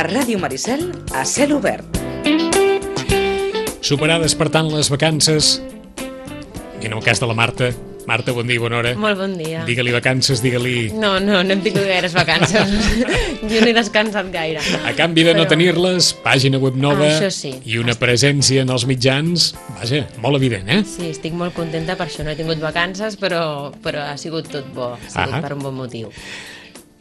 Ràdio Maricel, a cel obert. Superades, per tant, les vacances, i en el cas de la Marta, bon dia i bona hora. Molt bon dia. Digue-li vacances, digue-li... No hem tingut gaires vacances. Jo no he descansat gaire. A canvi de no tenir-les, pàgina web nova i una presència en els mitjans, vaja, molt evident, eh? Sí, estic molt contenta, per això no he tingut vacances, però ha sigut tot bo, ha sigut per un bon motiu.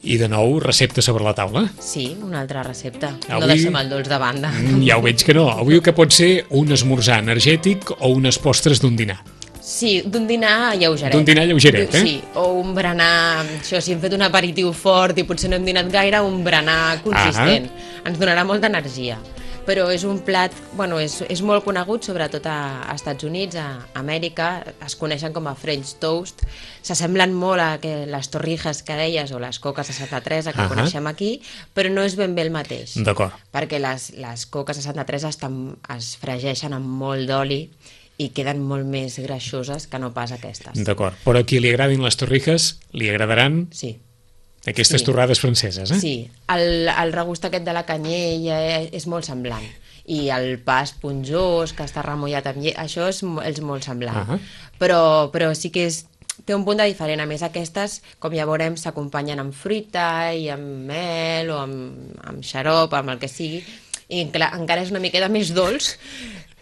I de nou, recepta sobre la taula? Sí, una altra recepta. Avui... No deixem el dolç de banda. Ja ho veig que no. Avui que pot ser un esmorzar energètic o unes postres d'un dinar. Sí, d'un dinar lleugeret. D'un dinar lleugeret, eh? Sí, o un berenar... Això, si hem fet un aperitiu fort i potser no hem dinat gaire, un berenar consistent. Ens donarà molta energia. Però és un plat, bueno, és molt conegut, sobretot a Estats Units, a Amèrica, es coneixen com a French toast, s'assemblen molt a les torrijas que deies o les coques de Santa Teresa que coneixem aquí, però no és ben bé el mateix. D'acord. Perquè les coques de Santa Teresa es fregeixen amb molt d'oli i queden molt més greixoses que no pas aquestes. D'acord, però a qui li agradin les torrijas, li agradaran... Sí. Aquestes torrades franceses, eh? Sí, el regust aquest de la canyella és molt semblant. I el pa esponjós, que està remullat amb llet, això és molt semblant. Però sí que té un punt de diferent. A més, aquestes, com ja veurem, s'acompanyen amb fruita i amb mel o amb xarop, amb el que sigui. I encara és una miqueta més dolç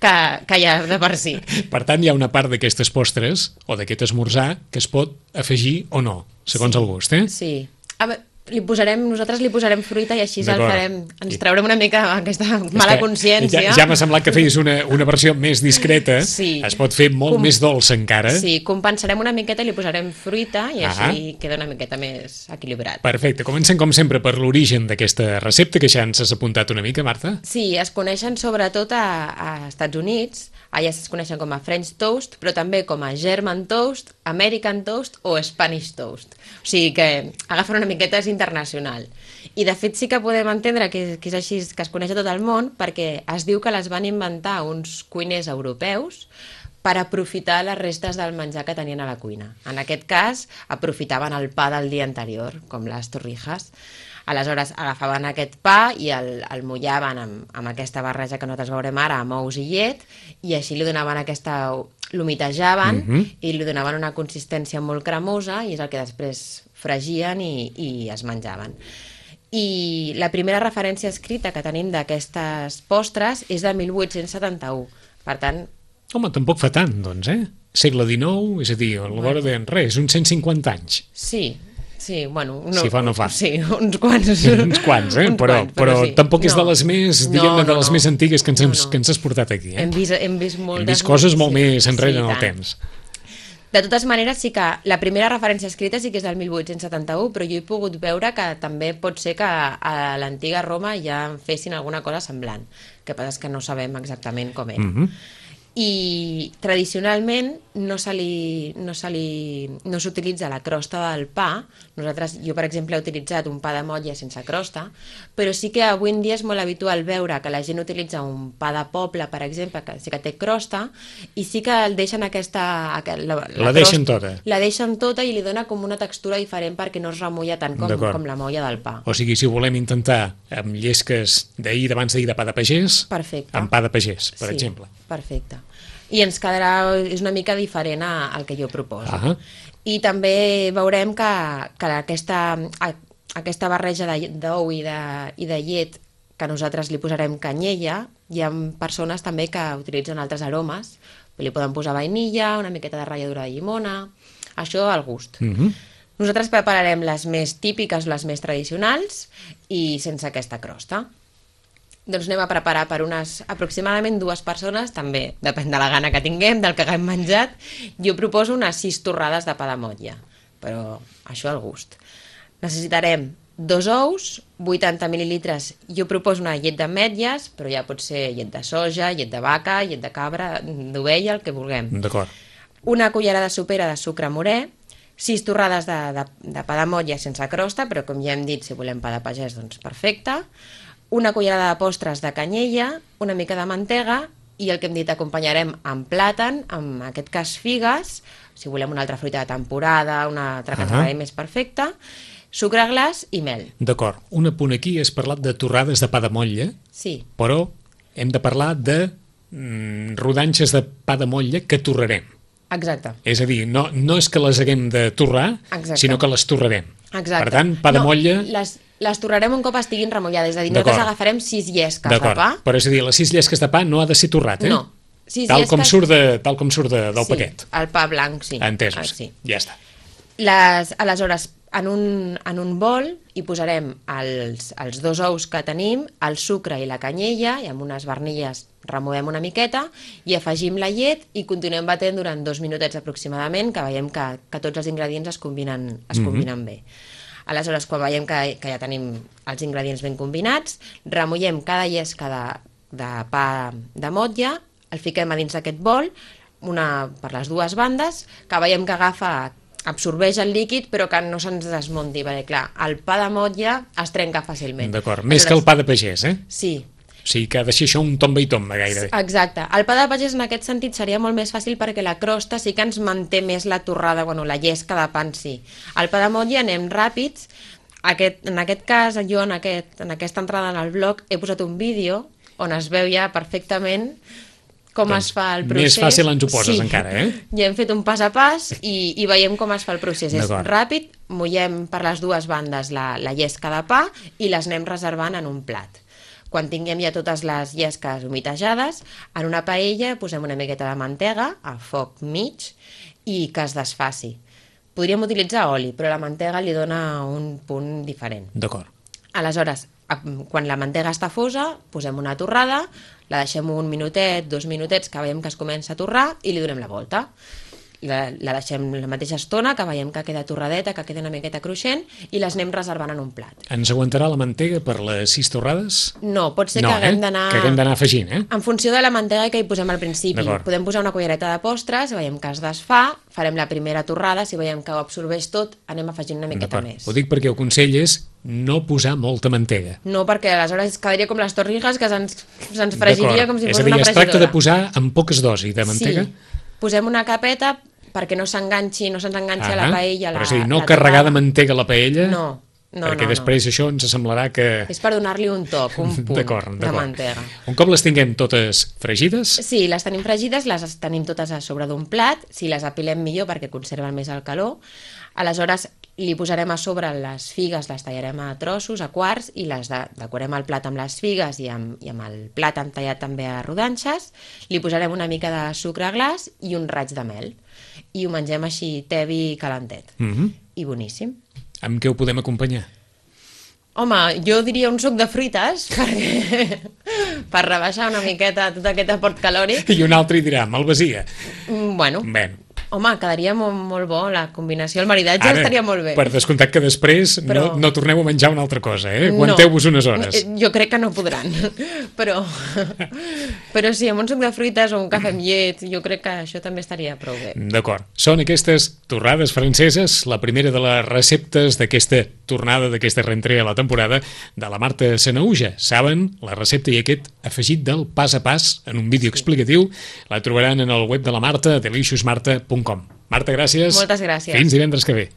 que ja de per si. Per tant, hi ha una part d'aquestes postres o d'aquest esmorzar que es pot afegir o no, segons el gust, eh? Sí. Nosaltres li posarem fruita i així el farem, ens traurem una mica aquesta mala consciència. Ja m'ha semblat que feies una versió més discreta, es pot fer molt més dolça encara. Sí, compensarem una miqueta i li posarem fruita i així queda una miqueta més equilibrat. Perfecte, comencem com sempre per l'origen d'aquesta recepta, que ja ens has apuntat una mica, Marta. Sí, es coneixen sobretot a Estats Units, allà es coneixen com a French toast, però també com a German toast, American toast o Spanish toast. O sigui que agafen una miqueta, és internacional. I de fet sí que podem entendre que és així, que es coneix a tot el món, perquè es diu que les van inventar uns cuiners europeus per aprofitar les restes del menjar que tenien a la cuina. En aquest cas, aprofitaven el pa del dia anterior, com les torrijas. Aleshores, agafaven aquest pa i el mullaven amb aquesta barreja que nosaltres veurem ara, amb ous i llet, i així li donaven l'humitejaven i li donaven una consistència molt cremosa i és el que després fregien i es menjaven. I la primera referència escrita que tenim d'aquestes postres és de 1871. Per tant... Home, tampoc fa tant, doncs, eh? Segle XIX, és a dir, a la vora de res, uns 150 anys. Sí, bueno... Si fa o no fa. Sí, uns quants. Uns quants, eh? Però tampoc és de les més, diguem-ne, de les més antigues que ens has portat aquí, eh? Hem vist moltes... Hem vist coses molt més enrere en el temps. De totes maneres, sí que la primera referència escrita sí que és del 1871, però jo he pogut veure que també pot ser que a l'antiga Roma ja fessin alguna cosa semblant. El que passa és que no sabem exactament com era. I tradicionalment no s'utilitza la crosta del pa. Jo, per exemple, he utilitzat un pa de motlla sense crosta, però sí que avui en dia és molt habitual veure que la gent utilitza un pa de poble, per exemple, que sí que té crosta, i sí que el deixen la deixen tota. La deixen tota i li dona com una textura diferent perquè no es remulla tant com la molla del pa. O sigui, si ho volem intentar amb llesques d'abans d'ahir de pa de pagès, amb pa de pagès, per exemple. Perfecte. I ens quedarà, és una mica diferent al que jo proposo. I també veurem que aquesta barreja d'ou i de llet, que nosaltres li posarem canyella, hi ha persones també que utilitzen altres aromes, li poden posar vainilla, una miqueta de ratlladura de llimona, això al gust. Nosaltres prepararem les més típiques, les més tradicionals i sense aquesta crosta. Doncs anem a preparar per aproximadament 2 persones, també depèn de la gana que tinguem, del que haguem menjat. Jo proposo unes 6 torrades de pa de motlla, però això al gust. Necessitarem 2 ous, 80 mil·lilitres, jo proposo una llet d'ametlles, però ja pot ser llet de soja, llet de vaca, llet de cabra, d'ovella, el que vulguem. D'acord. Una cullerada sopera de sucre morè, 6 torrades de pa de motlla sense crosta, però com ja hem dit, si volem pa de pagès, doncs perfecte. Una cullerada de postres de canyella, una mica de mantega i el que hem dit acompanyarem amb plàtan, en aquest cas figues, si volem una altra fruita de temporada, una altra que ens agradi més perfecta, sucre glaç i mel. D'acord. Un apunt aquí, has parlat de torrades de pa de motlla, Sí. però hem de parlar de rodanxes de pa de motlla que torrarem. Exacte. És a dir, no és que les haguem de torrar, sinó que les torrarem. Exacte. Per tant, pa de motlla... Les torrarem un cop estiguin remullades, és a dir, nosaltres agafarem 6 llesques de pa. Però és a dir, les 6 llesques de pa no ha de ser torrat, No. Tal com surt del paquet. El pa blanc, sí. Entesos, sí. Ja està. Aleshores, en un bol hi posarem els 2 ous que tenim, el sucre i la canyella, i amb unes barnilles removem una miqueta i afegim la llet i continuem batent durant 2 minutets aproximadament, que veiem que tots els ingredients es combinen bé. Aleshores, quan veiem que ja tenim els ingredients ben combinats, remullem cada llesca de pa de motlla, el fiquem a dins d'aquest bol, una per les dues bandes, que veiem que absorbeix el líquid però que no se'ns desmunti, perquè clar, el pa de motlla es trenca fàcilment. D'acord, més que el pa de pagès, Sí. O sigui que ha de ser això un tomba i tomba gairebé. Exacte. El pa de pagès en aquest sentit seria molt més fàcil perquè la crosta sí que ens manté més la torrada, la llesca de pa en si. El pa de motlla anem ràpids. En aquest cas, jo en aquesta entrada en el blog he posat un vídeo on es veu ja perfectament com es fa el procés. Més fàcil ens ho poses encara, Ja hem fet un pas a pas i veiem com es fa el procés. És ràpid, mullem per les dues bandes la llesca de pa i les anem reservant en un plat. Quan tinguem ja totes les llesques humitejades, en una paella posem una miqueta de mantega a foc mig i que es desfaci. Podríem utilitzar oli, però la mantega li dona un punt diferent. D'acord. Aleshores, quan la mantega està fosa, posem una torrada, la deixem 1 minutet, 2 minutets, que veiem que es comença a torrar i li donem la volta. La deixem la mateixa estona, que veiem que queda torradeta, que queda una miqueta cruixent, i les anem reservant en un plat. Ens aguantarà la mantega per les 6 torrades? No, pot ser que haguem d'anar... Que haguem d'anar afegint, En funció de la mantega que hi posem al principi. Podem posar una cullereta de postres, veiem que es desfà, farem la primera torrada, si veiem que ho absorbeix tot, anem afegint una miqueta més. Ho dic perquè el consell és no posar molta mantega. No, perquè aleshores quedaria com les torrigues, que se'ns fregiria com si fos una fregidora. És a dir, es tracta de posar amb poques dosis de mantega? Sí, posem una capeta perquè no se'ns enganxi a la paella. Però és a dir, no carregar de mantega la paella? No. Perquè després això ens semblarà que... És per donar-li un toc, un punt de mantega. Un cop les tinguem totes fregides? Sí, les tenim fregides, les tenim totes a sobre d'un plat, si les apilem millor perquè conserven més el calor. Aleshores li posarem a sobre les figues, les tallarem a trossos, a quarts, i les decorem el plat amb les figues i amb el plat tallat també a rodanxes. Li posarem una mica de sucre glaç i un raig de mel. I ho mengem així tebi calentet. I boníssim. Amb què ho podem acompanyar? Home, jo diria un suc de fruites, per rebaixar una miqueta tot aquest aport calòric. I un altre hi dirà, malvasia. Bueno. Home, quedaria molt bo, la combinació, el maridatge estaria molt bé. Per descomptat que després no torneu a menjar una altra cosa, Aguanteu-vos unes hores. Jo crec que no podran, però sí, amb un suc de fruites o un cafè amb llet, jo crec que això també estaria prou bé. D'acord. Són aquestes torrades franceses, la primera de les receptes d'aquesta tornada, d'aquesta rentrée a la temporada de la Marta Sanahuja. Saben la recepta i aquest afegit del pas a pas en un vídeo explicatiu. La trobaran en el web de la Marta, deliciousmarta.com. Marta, gràcies. Moltes gràcies. Fins divendres que ve.